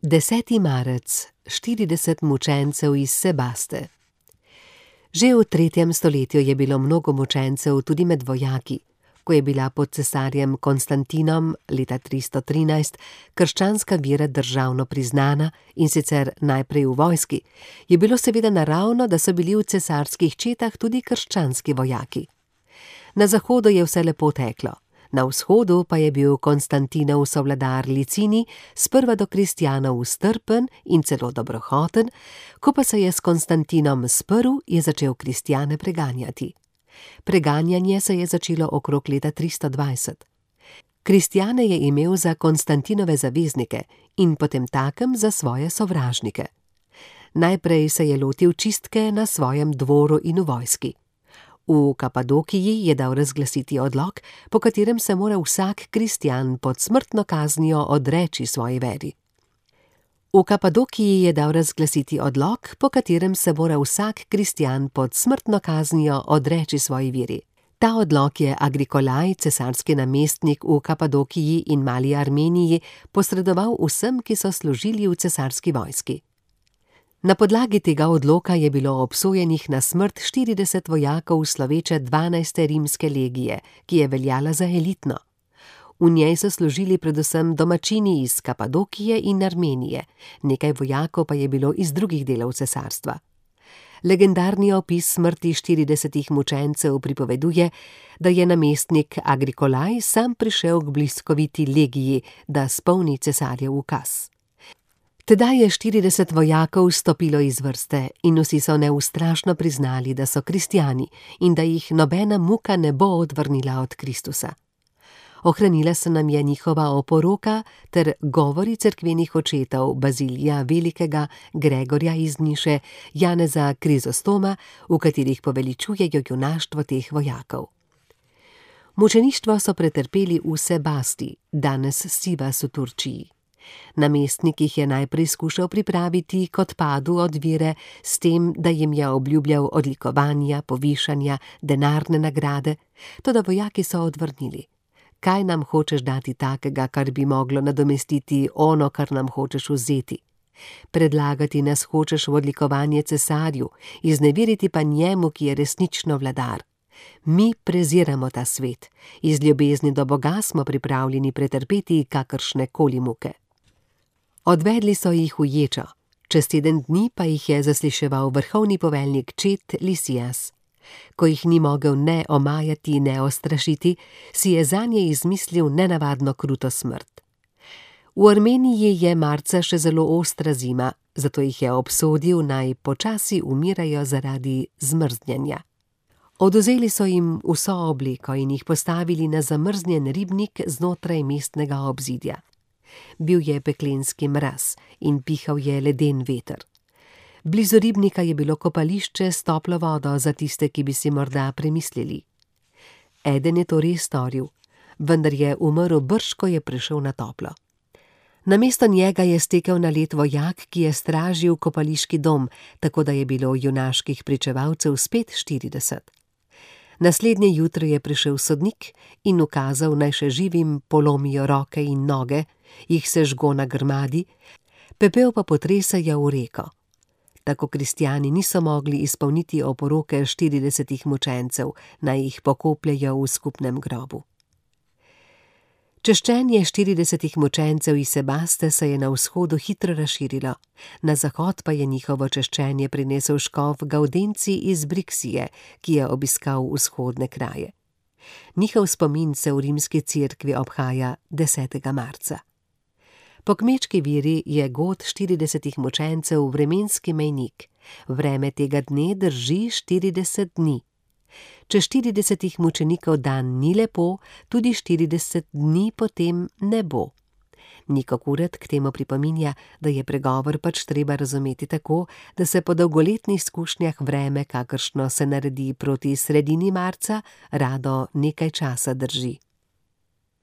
10. marec, 40 mučencev iz Sebaste. Že v 3. stoletju je bilo mnogo mučencev tudi med vojaki. Ko je bila pod cesarjem Konstantinom leta 313 krščanska vera državno priznana, in sicer najprej v vojski, je bilo seveda naravno, da so bili v cesarskih četah tudi krščanski vojaki. Na zahodu je vse lepo teklo. Na vzhodu pa je bil Konstantinov sovladar Licini sprva do kristjanov strpen in celo dobrohoten, ko pa se je s Konstantinom sprl, je začel kristjane preganjati. Preganjanje se je začelo okrog leta 320. Kristjane je imel za Konstantinove zaveznike in potemtakem za svoje sovražnike. Najprej se je lotil čistke na svojem dvoru in v vojski. V Kapadokiji je dal razglasiti odlok, po katerem se mora vsak kristjan pod smrtno kaznijo odreči svoji veri. V Kapadokiji je dal razglasiti odlok, po katerem se mora vsak kristjan pod smrtno kaznijo odreči svoji veri. Ta odlok je Agrikolaj, cesarski namestnik v Kapadokiji in Mali Armeniji, posredoval vsem, ki so služili v cesarski vojski. Na podlagi tega odloka je bilo obsojenih na smrt 40 vojakov sloveče 12. rimske legije, ki je veljala za elitno. V njej so služili predvsem domačini iz Kapadokije in Armenije, nekaj vojakov pa je bilo iz drugih delov cesarstva. Legendarni opis smrti 40 mučencev pripoveduje, da je namestnik Agrikolaj sam prišel k bliskoviti legiji, da spolni cesarjev ukaz. Tedaj je 40 vojakov stopilo iz vrste in vsi so neustrašno priznali, da so kristjani in da jih nobena muka ne bo odvrnila od Kristusa. Ohranila se nam je njihova oporoka ter govori cerkvenih očetov Bazilija Velikega, Gregorja iz Niše, Janeza Krizostoma, v katerih poveličujejo junaštvo teh vojakov. Mučeništvo so pretrpeli v Sebasti, danes Sivas v Turčiji. Namestnik jih je najprej skušal pripraviti k odpadu od vere s tem, da jim je obljubljal odlikovanja, povišanja, denarne nagrade, toda vojaki so odvrnili. Kaj nam hočeš dati takega, kar bi moglo nadomestiti ono, kar nam hočeš vzeti? Predlagati nas hočeš v odlikovanje cesarju, izneveriti pa njemu, ki je resnično vladar. Mi preziramo ta svet, iz ljubezni do Boga smo pripravljeni pretrpeti kakršne koli muke. Odvedli so jih v ječo, čez 7 dni pa jih je zasliševal vrhovni poveljnik čet Lisijas. Ko jih ni mogel ne omajati, ne ostrašiti, si je zanje izmislil nenavadno kruto smrt. V Armeniji je marca še zelo ostra zima, zato jih je obsodil, naj počasi umirajo zaradi zmrznjenja. Odvzeli so jim vso obleko in jih postavili na zamrznjen ribnik znotraj mestnega obzidja. Bil je peklenski mraz in pihal je leden veter. Blizu ribnika je bilo kopališče s toplo vodo za tiste, ki bi si morda premislili. Eden je to res storil, vendar je umrl brž, ko je prišel na toplo. Namesto njega je stekel na led vojak, ki je stražil kopališki dom, tako da je bilo junaških pričevalcev spet 40. Naslednje jutro je prišel sodnik in ukazal, naj še živim polomijo roke in noge, jih sežgo na grmadi, pepel pa potresajo v reko. Tako kristjani niso mogli izpolniti oporoke 40 mučencev, naj jih pokopljejo v skupnem grobu. Češčenje 40 mučencev iz Sebaste se je na vzhodu hitro razširilo, na zahod pa je njihovo češčenje prinesel škof Gaudenci iz Briksije, ki je obiskal vzhodne kraje. Njihov spomin se v rimski cerkvi obhaja 10. marca. Po kmečki veri je god 40 mučencev vremenski mejnik. Vreme tega dne drži 40 dni. Če 40 mučenikov dan ni lepo, tudi 40 dni potem ne bo. Niko Kuret k temu pripominja, da je pregovor pač treba razumeti tako, da se po dolgoletnih izkušnjah vreme, kakršno se naredi proti sredini marca, rado nekaj časa drži.